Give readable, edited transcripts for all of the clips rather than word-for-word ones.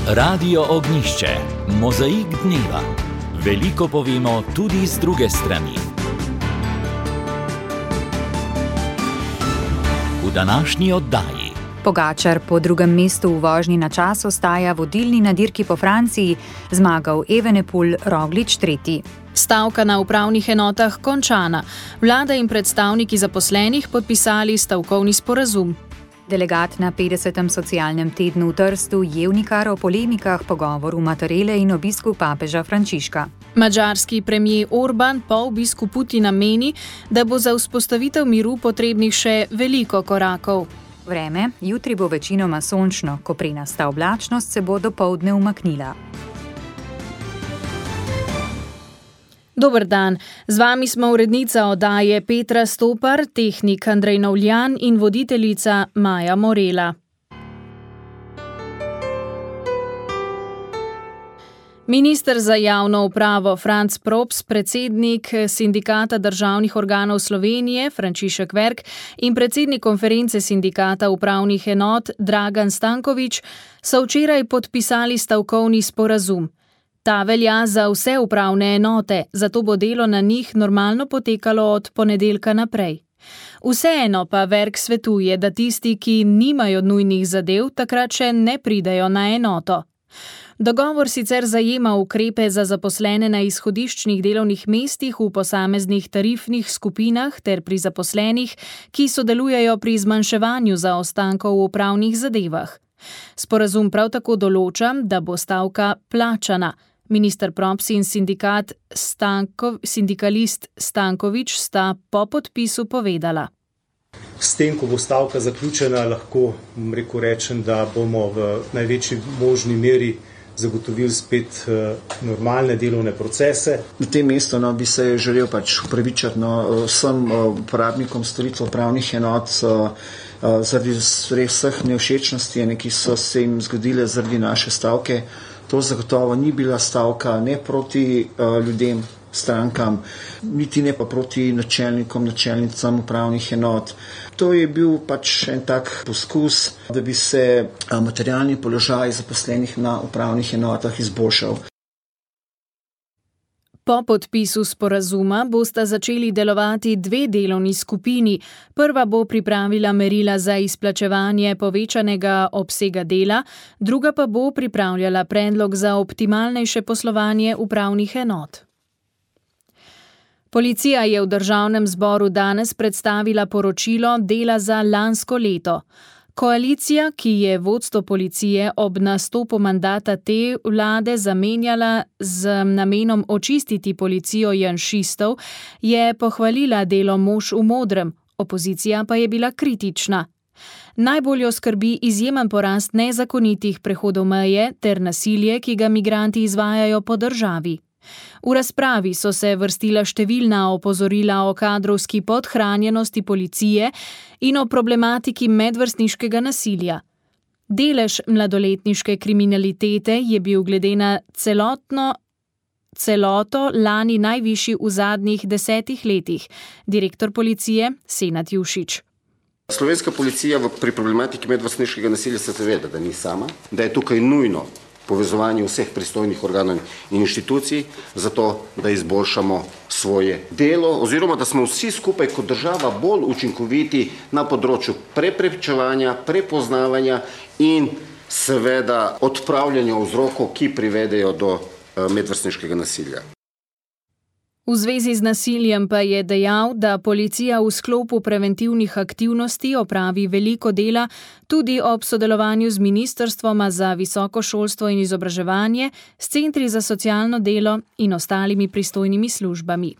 Radio Ognišče, mozaik dneva. Veliko povemo tudi z druge strani. V današnji oddaji. Pogačar po drugem mestu v vožnji na čas ostaja vodilni na dirki po Franciji, zmagal Evenepoel, Roglič tretji. Stavka na upravnih enotah končana. Vlada in predstavniki zaposlenih podpisali stavkovni sporazum. Delegat na 50. socialnem tednu v Trstu Jevnikar o polemikah, pogovoru Mattarelle in obisku papeža Frančiška. Madžarski premijer Orban po obisku Putina meni, da bo za vzpostavitev miru potrebnih še veliko korakov. Vreme, jutri bo večinoma sončno, koprenasta oblačnost se bo dopoldne umaknila. Dober dan, z vami smo urednica oddaje Petra Stopar, tehnik Andrej Novljan in voditeljica Maja Morela. Minister za javno upravo Franc Props, predsednik Sindikata državnih organov Slovenije Frančišek Verk in predsednik konference Sindikata upravnih enot Dragan Stanković so včeraj podpisali stavkovni sporazum. Ta velja za vse upravne enote, zato bo delo na njih normalno potekalo od ponedeljka naprej. Vseeno pa Verk svetuje, da tisti, ki nimajo nujnih zadev, takrat še ne pridejo na enoto. Dogovor sicer zajema ukrepe za zaposlene na izhodiščnih delovnih mestih v posameznih tarifnih skupinah ter pri zaposlenih, ki sodelujejo pri zmanjševanju zaostankov v upravnih zadevah. Sporazum prav tako določa, da bo stavka plačana. Minister Props in sindikalist Stanković sta po podpisu povedala. S tem, ko bo stavka zaključena, lahko rečem, da bomo v največji možni meri zagotovili spet normalne delovne procese. Na tem mestu bi se želel upravičiti vsem uporabnikom storitev upravnih enot zaradi vseh nevšečnosti, ki so se jim zgodile zaradi naše stavke. To zagotovo ni bila stavka ne proti ljudem, strankam, niti ne pa proti načelnicam upravnih enot. To je bil en tak poskus, da bi se materialni položaj zaposlenih na upravnih enotah izboljšal. Po podpisu sporazuma bosta začeli delovati dve delovni skupini. Prva bo pripravila merila za izplačevanje povečanega obsega dela, druga pa bo pripravljala predlog za optimalnejše poslovanje upravnih enot. Policija je v Državnem zboru danes predstavila poročilo dela za lansko leto. Koalicija, ki je vodstvo policije ob nastopu mandata te vlade zamenjala z namenom očistiti policijo janšistov, je pohvalila delo Mož v modrem, opozicija pa je bila kritična. Najbolj jo skrbi izjemen porast nezakonitih prehodov meje ter nasilje, ki ga migranti izvajajo po državi. V razpravi so se vrstila številna opozorila o kadrovski podhranjenosti policije in o problematiki medvrstniškega nasilja. Delež mladoletniške kriminalitete je bil glede na celoto lani najvišji v zadnjih 10 letih. Direktor policije Senad Jušić. Slovenska policija pri problematiki medvrstniškega nasilja se zaveda, da ni sama, da je tukaj nujno povezovanje vseh pristojnih organov in inštitucij, zato da izboljšamo svoje delo, oziroma da smo vsi skupaj kot država bolj učinkoviti na področju preprečevanja, prepoznavanja in seveda odpravljanja vzrokov, ki privedejo do medvrstniškega nasilja. V zvezi z nasiljem pa je dejal, da policija v sklopu preventivnih aktivnosti opravi veliko dela tudi ob sodelovanju z ministrstvoma za visoko šolstvo in izobraževanje, s centri za socialno delo in ostalimi pristojnimi službami.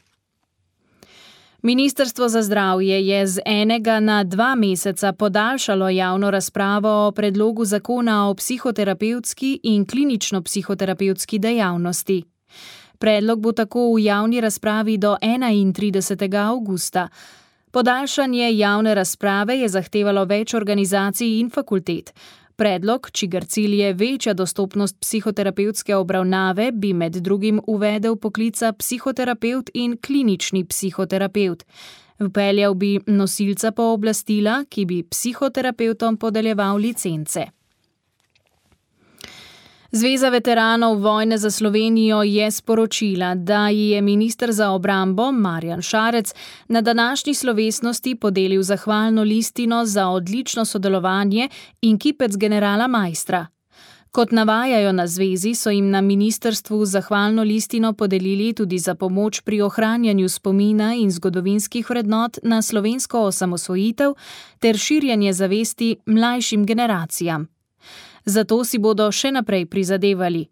Ministrstvo za zdravje je z 1 na 2 meseca podaljšalo javno razpravo o predlogu zakona o psihoterapevtski in klinično-psihoterapevtski dejavnosti. Predlog bo tako v javni razpravi do 31. avgusta. Podaljšanje javne razprave je zahtevalo več organizacij in fakultet. Predlog, čigar cilj je večja dostopnost psihoterapevtske obravnave, bi med drugim uvedel poklica psihoterapevt in klinični psihoterapevt. Vpeljal bi nosilca pooblastila, ki bi psihoterapevtom podeljeval licence. Zveza veteranov vojne za Slovenijo je sporočila, da ji je minister za obrambo Marjan Šarec na današnji slovesnosti podelil zahvalno listino za odlično sodelovanje in kipec generala Maistra. Kot navajajo na zvezi, so jim na ministrstvu zahvalno listino podelili tudi za pomoč pri ohranjanju spomina in zgodovinskih vrednot na slovensko osamosvojitev ter širjenje zavesti mlajšim generacijam. Zato si bodo še naprej prizadevali.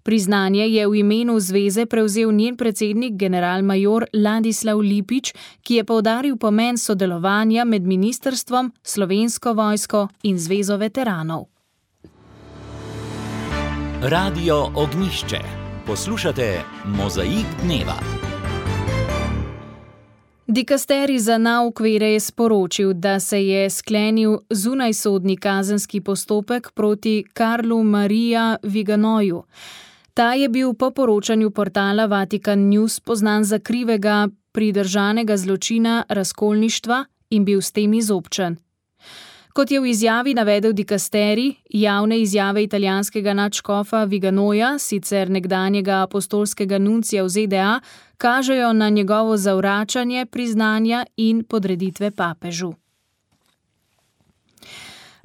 Priznanje je v imenu zveze prevzel njen predsednik generalmajor Ladislav Lipič, ki je poudaril pomen sodelovanja med ministrstvom, Slovensko vojsko in Zvezo veteranov. Radio Ognjišče. Poslušate Mozaik dneva. Dikasteri za nauk vere je sporočil, da se je sklenil zunajsodni kazenski postopek proti Karlu Marija Viganoju. Ta je bil po poročanju portala Vatikan News poznan za krivega pridržanega zločina razkolništva in bil s tem izobčen. Kot je v izjavi navedel dikasteri, javne izjave italijanskega nadškofa Viganoja, sicer nekdanjega apostolskega nuncija v ZDA, kažejo na njegovo zavračanje priznanja in podreditve papežu.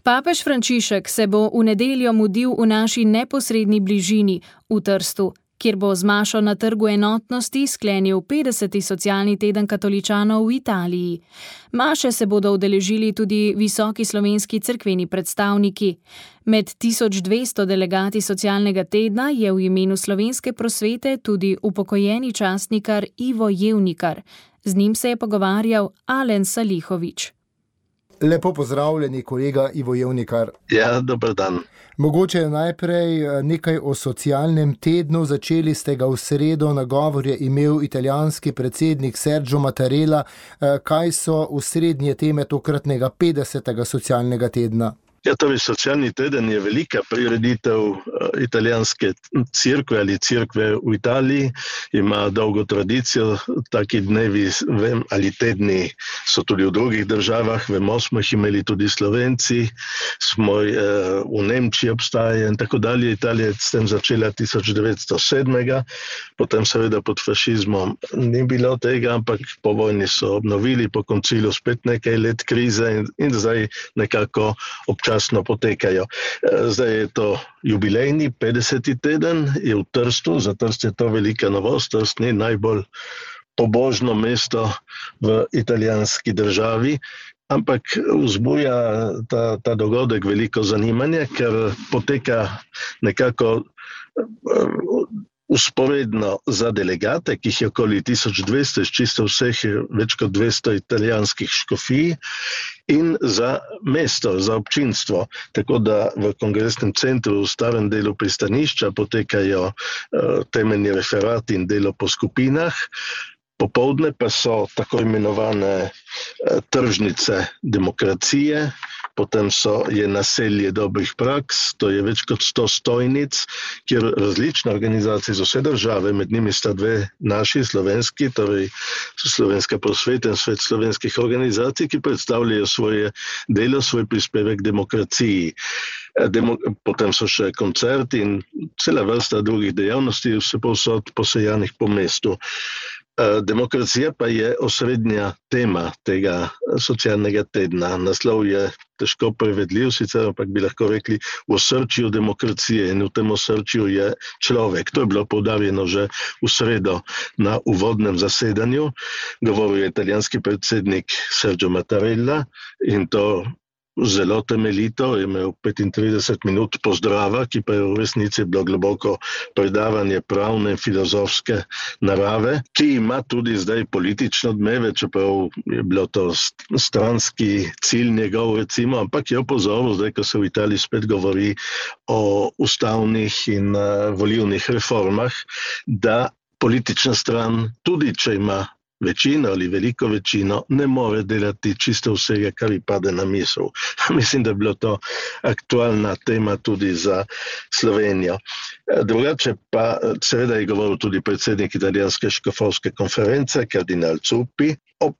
Papež Frančišek se bo v nedeljo mudil v naši neposredni bližini, v Trstu, kjer bo z mašo na Trgu enotnosti sklenil 50. socialni teden katoličanov v Italiji. Maše se bodo udeležili tudi visoki slovenski cerkveni predstavniki. Med 1200 delegati socialnega tedna je v imenu slovenske prosvete tudi upokojeni častnikar Ivo Jevnikar. Z njim se je pogovarjal Alen Salihović. Lepo pozdravljeni, kolega Ivo Jevnikar. Ja, dober dan. Mogoče najprej nekaj o socialnem tednu. Začeli ste ga v sredo, nagovor je imel italijanski predsednik Sergio Mattarella. Kaj so osrednje teme tokratnega 50. socialnega tedna? Ja, torej socialni teden je velika prireditev italijanske cerkve ali cerkve v Italiji. Ima dolgo tradicijo, taki dnevi ali tedni so tudi v drugih državah. Vemo, smo jih imeli tudi Slovenci, v Nemčiji obstaja in tako dalje. Italija je s tem začela 1907. Potem seveda pod fašizmom ni bilo tega, ampak po vojni so obnovili, po koncilu spet nekaj let krize in zdaj nekako občasno potekajo. Zdaj je to jubilejni 50. teden, je v Trstu, za Trst je to velika novost, Trst ni najbolj pobožno mesto v italijanski državi, ampak vzbuja ta dogodek veliko zanimanja, ker poteka nekako usporedno za delegate, ki jih je okoli 1200, čisto vseh več kot 200 italijanskih škofij, in za mesto, za občinstvo. Tako da v kongresnem centru v starem delu pristanišča potekajo temeljni referati in delo po skupinah. Popoldne pa so tako imenovane tržnice demokracije, potem je naselje dobrih praks, to je več kot 100 stojnic, kjer različne organizacije z vse države, med njimi sta dve naši, slovenski, torej Slovenska prosveta in Svet slovenskih organizacij, ki predstavljajo svoje delo, svoj prispevek demokraciji. Potem so še koncerti in cela vrsta drugih dejavnosti, vse povsod posejanih po mestu. Demokracija pa je osrednja tema tega socialnega tedna. Naslov je težko prevedljiv, sicer ampak bi lahko rekli v osrčju demokracije in v tem osrčju je človek. To je bilo poudarjeno že v sredo na uvodnem zasedanju. Govoril je italijanski predsednik Sergio Mattarella in to zelo temeljito, je imel 35 minut pozdrava, ki pa je v resnici bilo globoko predavanje pravne in filozofske narave, ki ima tudi zdaj politično odmeve, čeprav je bilo to stranski cilj njegov, recimo, ampak je opozoril zdaj, ko se v Italiji spet govori o ustavnih in volilnih reformah, da politična stran, tudi če ima večino ali veliko večino, ne more delati čisto vsega, kar ji pade na misel. Mislim, da je bilo to aktualna tema tudi za Slovenijo. Drugače pa seveda je govoril tudi predsednik italijanske škofovske konference, kardinal Zuppi, ob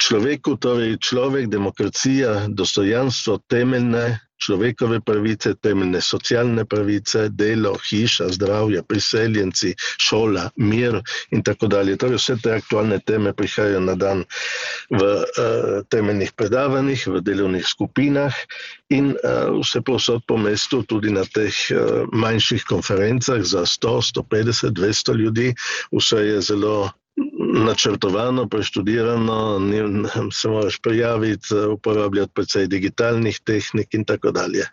človeku, torej človek, demokracija, dostojanstvo, temeljne človekove pravice, temeljne socialne pravice, delo, hiša, zdravje, priseljenci, šola, mir in tako dalje. Torej vse te aktualne teme prihajajo na dan v temeljnih predavanjih, v delovnih skupinah in vse povsod po mestu, tudi na teh manjših konferencah za 100, 150, 200 ljudi. Vse je zelo načrtovano, preštudirano, se moraš prijaviti, uporabljati precej digitalnih tehnik in tako dalje.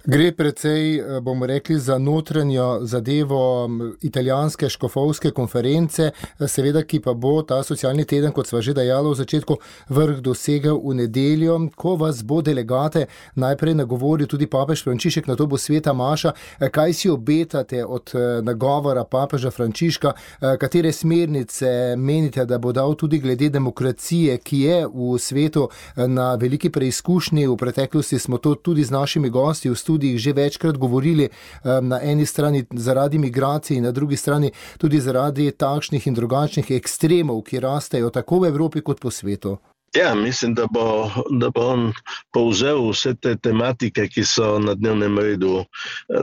Gre precej, bomo rekli, za notranjo zadevo italijanske škofovske konference, seveda, ki pa bo ta socialni teden, kot sva že dejala v začetku, vrh dosegel v nedeljo, ko vas bo delegate najprej nagovoril tudi papež Frančišek, nato bo sveta maša. Kaj si obetate od nagovora papeža Frančiška, katere smernice menite, da bo dal tudi glede demokracije, ki je v svetu na veliki preizkušnji? V preteklosti smo to tudi z našimi gosti v studijih že večkrat govorili, na eni strani zaradi migracij, na drugi strani tudi zaradi takšnih in drugačnih ekstremov, ki rastejo tako v Evropi kot po svetu. Ja, mislim, da bo on povzel vse te tematike, ki so na dnevnem redu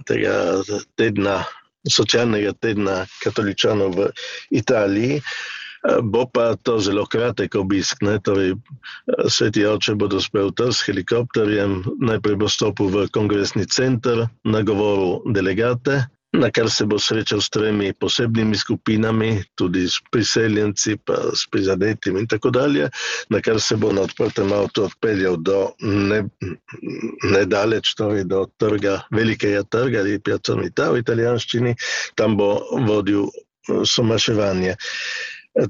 tega tedna, socialnega tedna katoličanov v Italiji. Bo pa to zelo kratek obisk, ne? Torej, sveti oče bo dospel s helikopterjem, najprej bo stopil v kongresni center, nagovoril delegate, na kar se bo srečal s 3 posebnimi skupinami, tudi s priseljenci, pa s prizadetimi in tako dalje, na kar se bo na odprtem avtu odpeljal do nedaleč, torej do trga, velikega trga, ali Piazza Unità v italijanščini, tam bo vodil somaševanje.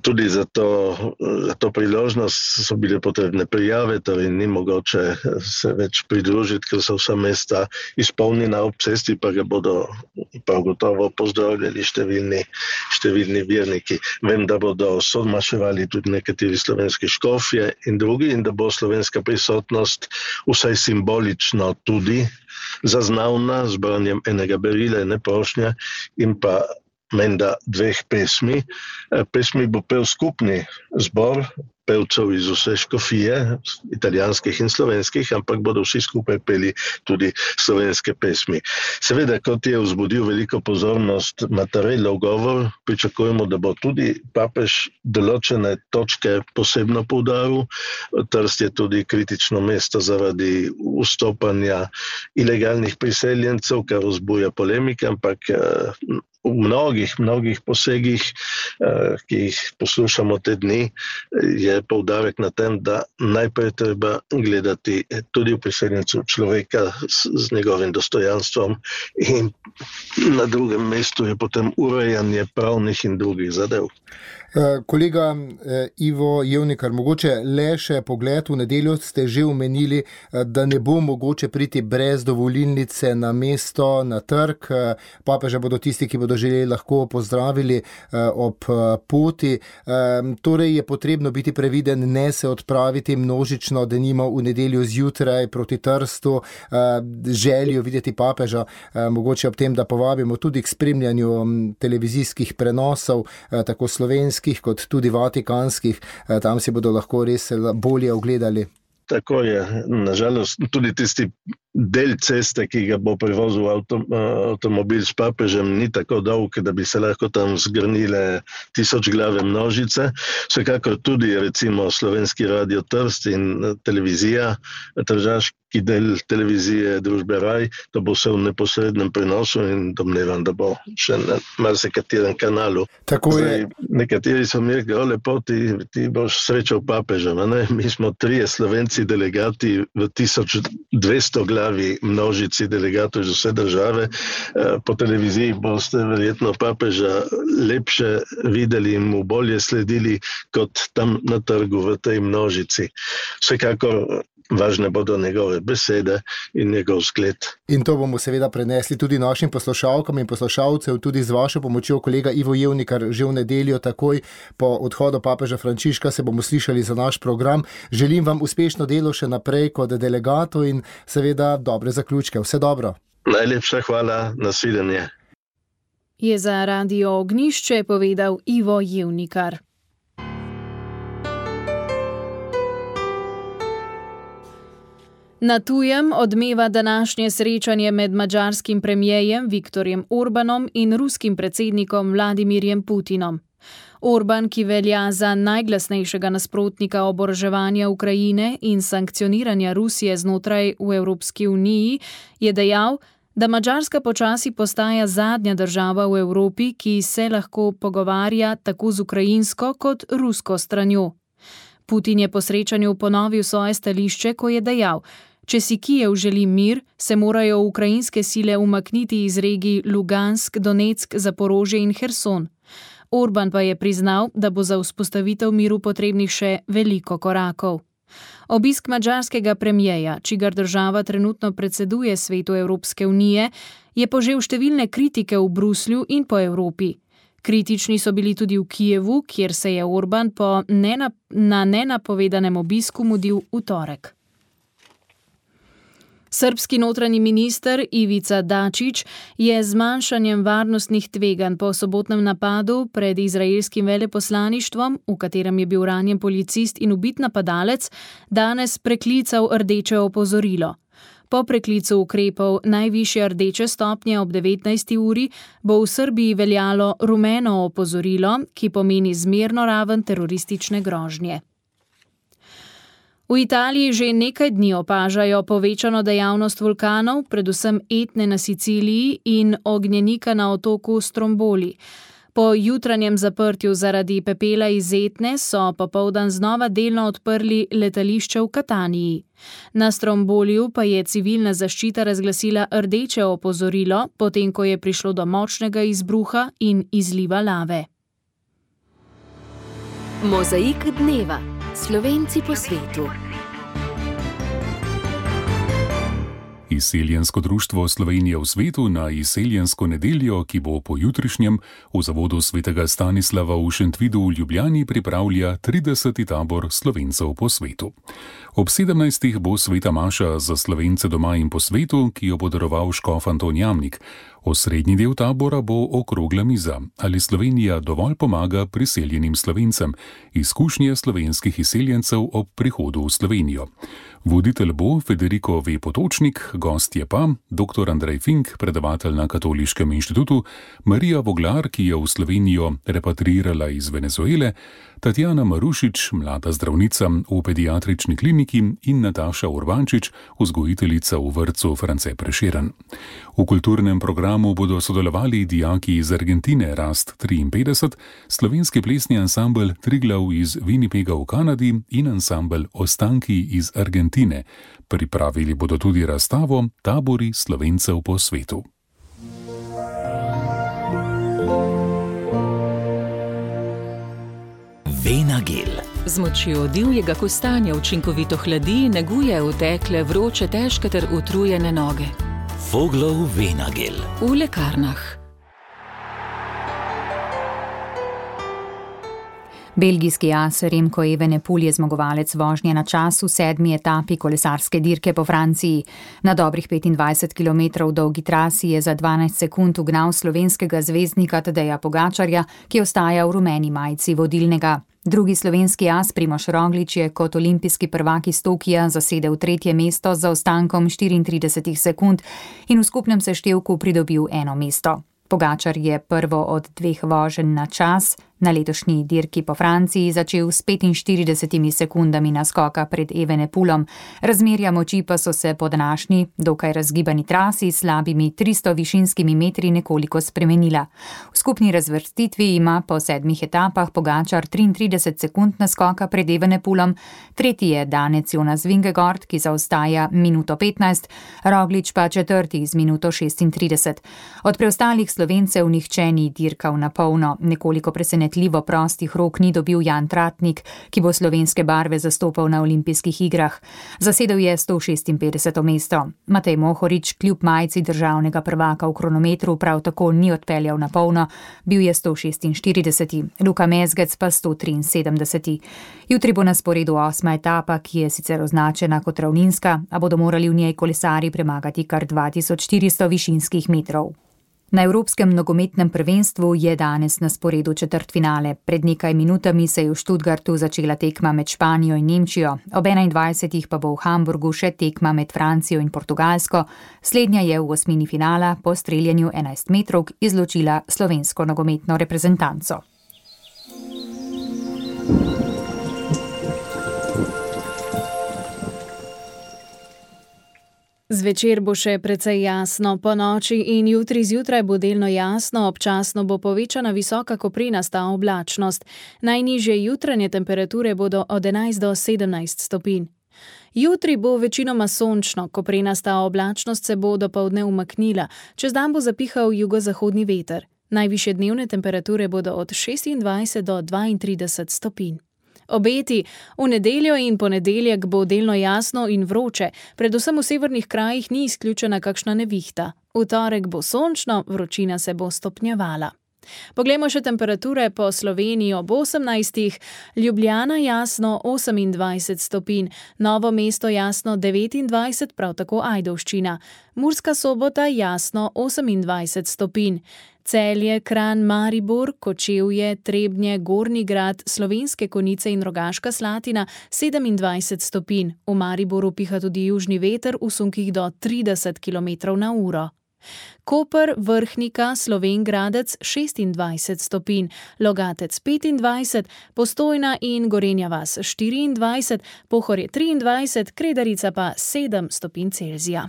Tudi za to priložnost so bile potrebne prijave, torej ni mogoče se več pridružiti, ker so vsa mesta izpolnjena ob cesti, pa ga bodo prav gotovo pozdravljali številni verniki. Vem, da bodo somaševali tudi nekateri slovenski škofje in drugi in da bo slovenska prisotnost vsaj simbolično tudi zaznavna z branjem enega berila, ene prošnje in pa menda 2 pesmi. Pesmi bo pel skupni zbor pevcev iz vse škofije, italijanskih in slovenskih, ampak bodo vsi skupaj peli tudi slovenske pesmi. Seveda, kot je vzbudil veliko pozornost Mattarellov govor, pričakujemo, da bo tudi papež določene točke posebno poudaril. Trst je tudi kritično mesto zaradi vstopanja ilegalnih priseljencev, kar vzbuja polemike, ampak v mnogih posegih, ki jih poslušamo te dni, je poudarek na tem, da najprej treba gledati tudi v priseljencu človeka z njegovim dostojanstvom in na drugem mestu je potem urejanje pravnih in drugih zadev. Kolega Ivo Jevnikar, mogoče le še pogled. V nedeljo ste že omenili, da ne bo mogoče priti brez dovolilnice na mesto, na trg. Papeža bodo tisti, ki bodo želeli, lahko pozdravili ob poti. Torej je potrebno biti previden, ne se odpraviti množično, denimo v nedeljo zjutraj proti Trstu, željo videti papeža, mogoče ob tem, da povabimo tudi k spremljanju televizijskih prenosov, tako slovenskih kot tudi vatikanskih, tam si bodo lahko res bolje ogledali. Tako je, nažalost, tudi tisti del ceste, ki ga bo prevozil avtomobil s papežem, ni tako dolg, da bi se lahko tam zgrnile 1000 glave množice. Vsekakor tudi recimo Slovenski radio Trst in televizija, tržaški del televizije družbe Raj, to bo vse v neposrednem prenosu in domnevam, da bo še na marsikaterem kanalu. Tako je. Nekateri so mi rekli, lepo, ti boš srečal papeža, ne? Mi smo 3 Slovenci delegati v 1200 glavi množici delegatov iz vse države. Po televiziji boste verjetno papeža lepše videli in mu bolje sledili kot tam na trgu v tej množici. Vsekakor važne bodo njegove besede in njegov zgled. In to bomo seveda prenesli tudi našim poslušalkam in poslušalcev, tudi z vašo pomočjo, kolega Ivo Jevnikar, že v nedeljo takoj po odhodu papeža Frančiška se bomo slišali za naš program. Želim vam uspešno delo še naprej kot delegatu in seveda dobre zaključke. Vse dobro. Najlepša hvala, nasvidenje. Je za Radio Ognjišče povedal Ivo Jevnikar. Na tujem odmeva današnje srečanje med madžarskim premierjem Viktorjem Orbanom in ruskim predsednikom Vladimirjem Putinom. Orban, ki velja za najglasnejšega nasprotnika oboroževanja Ukrajine in sankcioniranja Rusije znotraj v Evropski uniji, je dejal, da Madžarska počasi postaja zadnja država v Evropi, ki se lahko pogovarja tako z ukrajinsko kot rusko stranjo. Putin je po srečanju ponovil svoje stališče, ko je dejal, če si Kijev želi mir, se morajo ukrajinske sile umakniti iz regij Lugansk, Donetsk, Zaporožje in Herson. Orban pa je priznal, da bo za vzpostavitev miru potrebnih še veliko korakov. Obisk madžarskega premierja, čigar država trenutno predseduje Svetu Evropske unije, je požel številne kritike v Bruslju in po Evropi. Kritični so bili tudi v Kijevu, kjer se je Orban na nenapovedanem obisku mudil v torek. Srbski notranji minister Ivica Dačić je z zmanjšanjem varnostnih tveganj po sobotnem napadu pred izraelskim veleposlaništvom, v katerem je bil ranjen policist in ubit napadalec, danes preklical rdeče opozorilo. Po preklicu ukrepov najvišje rdeče stopnje ob 19. uri bo v Srbiji veljalo rumeno opozorilo, ki pomeni zmerno raven teroristične grožnje. V Italiji že nekaj dni opažajo povečano dejavnost vulkanov, predvsem Etne na Siciliji in ognjenika na otoku Stromboli. Po jutranjem zaprtju zaradi pepela iz Etne so popoldan znova delno odprli letališče v Kataniji. Na Stromboliju pa je civilna zaščita razglasila rdeče opozorilo, potem ko je prišlo do močnega izbruha in izliva lave. Mozaik dneva. Slovenci po svetu. Izseljensko društvo Slovenije v svetu na izseljensko nedeljo, ki bo pojutrišnjem v zavodu svetega Stanislava v Šentvidu v Ljubljani pripravlja 30. tabor Slovencev po svetu. Ob 17. bo sveta maša za Slovence doma in po svetu, ki jo bo daroval škof Anton Jamnik. Osrednji del tabora bo okrogla miza, ali Slovenija dovolj pomaga priseljenim Slovencem, izkušnje slovenskih izseljencev ob prihodu v Slovenijo. Voditelj bo Federico V. Potočnik, gost je pa dr. Andrej Fink, predavatelj na Katoliškem inštitutu, Marija Voglar, ki je v Slovenijo repatriirala iz Venezuele, Tatjana Marušič, mlada zdravnica v pediatrični kliniki in Nataša Urbančič, vzgojiteljica v vrtcu France Prešeren. V kulturnem programu bodo sodelovali dijaki iz Argentine Rast 53, slovenski plesni ansambel Triglav iz Winnipega v Kanadi in ansambel Ostanki iz Argentine. Pripravili bodo tudi razstavo Tabori Slovencev po svetu. Venagel. Z močjo divjega kostanja učinkovito hladi, neguje utekle, vroče, težke ter utrujene noge. Foglov Venagel. V lekarnah. Belgijski as Remco Evenepoel je zmagovalec vožnje na čas v 7. etapi kolesarske dirke po Franciji. Na dobrih 25 km dolgi trasi je za 12 sekund ugnal slovenskega zvezdnika Tadeja Pogačarja, ki ostaja v rumeni majici vodilnega. Drugi slovenski as Primož Roglič je kot olimpijski prvak iz Tokija zasedel 3. mesto z zaostankom 34 sekund in v skupnem seštevku pridobil 1 mesto. Pogačar je prvo od 2 voženj na čas na letošnji dirki po Franciji začel s 45 sekundami naskoka pred Evenepoelom. Razmerja moči pa so se po današnji, dokaj razgibani trasi s slabimi 300 višinskimi metri nekoliko spremenila. V skupni razvrstitvi ima po 7 etapah Pogačar 33 sekund naskoka pred Evenepoelom, tretji je danec Jonas Vingegaard, ki zaostaja minuto 15, Roglič pa četrti z minuto 36. Od preostalih Slovencev nihče ni dirkal na polno, nekoliko presenetljivo prostih rok ni dobil Jan Tratnik, ki bo slovenske barve zastopal na olimpijskih igrah. Zasedel je 156. mesto. Matej Mohorič kljub majici državnega prvaka v kronometru prav tako ni odpeljal na polno, bil je 146. Luka Mezgec pa 173. Jutri bo na sporedu 8. etapa, ki je sicer označena kot ravninska, a bodo morali v njej kolesarji premagati kar 2400 višinskih metrov. Na Evropskem nogometnem prvenstvu je danes na sporedu četrtfinale. Pred nekaj minutami se je v Stuttgartu začela tekma med Španijo in Nemčijo. Ob 21. pa bo v Hamburgu še tekma med Francijo in Portugalsko. Slednja je v osmini finala po streljanju 11 metrovk izločila slovensko nogometno reprezentanco. Zvečer bo še precej jasno, po noči in jutri zjutraj bo delno jasno, občasno bo povečana visoka koprenasta oblačnost. Najnižje jutranje temperature bodo od 11 do 17 stopinj. Jutri bo večinoma sončno, koprenasta oblačnost se bo dopoldne umaknila, čez dan bo zapihal jugozahodni veter. Najvišje dnevne temperature bodo od 26 do 32 stopinj. Obeti: v nedeljo in ponedeljek bo delno jasno in vroče, predvsem v severnih krajih ni izključena kakšna nevihta. V torek bo sončno, vročina se bo stopnjevala. Poglejmo še temperature po Sloveniji ob 18. Ljubljana jasno 28 stopinj, Novo mesto jasno 29, prav tako Ajdovščina. Murska Sobota jasno 28 stopinj. Celje, Kranj, Maribor, Kočevje, Trebnje, Gornji Grad, Slovenske Konjice in Rogaška Slatina 27 stopinj. V Mariboru piha tudi južni veter v sunkih do 30 km/h. Koper, Vrhnika, Slovenj Gradec 26 stopinj, Logatec 25, Postojna in Gorenja vas 24, Pohorje 23, Kredarica pa 7 stopinj Celzija.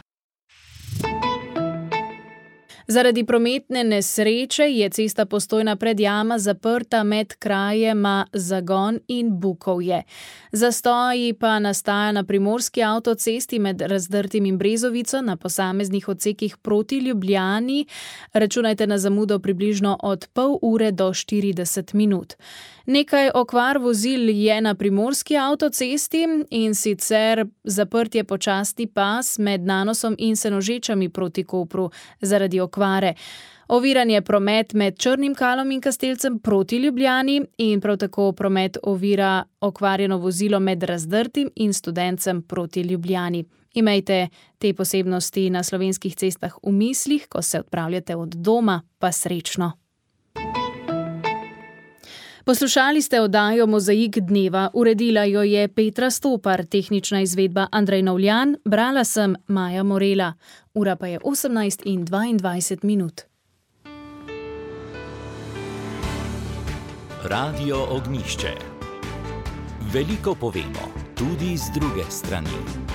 Zaradi prometne nesreče je cesta Postojna Predjama zaprta med krajema Zagon in Bukovje. Zastoji pa nastaja na primorski avtocesti med Razdrtim in Brezovico na posameznih odsekih proti Ljubljani. Računajte na zamudo približno od pol ure do 40 minut. Nekaj okvar vozil je na primorski avtocesti, in sicer zaprt je počasni pas med Nanosom in Senožečami proti Kopru zaradi okvare. Oviran je promet med Črnim Kalom in Kastelcem proti Ljubljani in prav tako promet ovira okvarjeno vozilo med Razdrtim in Studencem proti Ljubljani. Imejte te posebnosti na slovenskih cestah v mislih, ko se odpravljate od doma, pa srečno. Poslušali ste oddajo Mozaik dneva, uredila jo je Petra Stopar, tehnična izvedba Andrej Novljan, brala sem Maja Morela. Ura pa je 18:22. Radio Ognjišče. Veliko povemo, tudi z druge strani.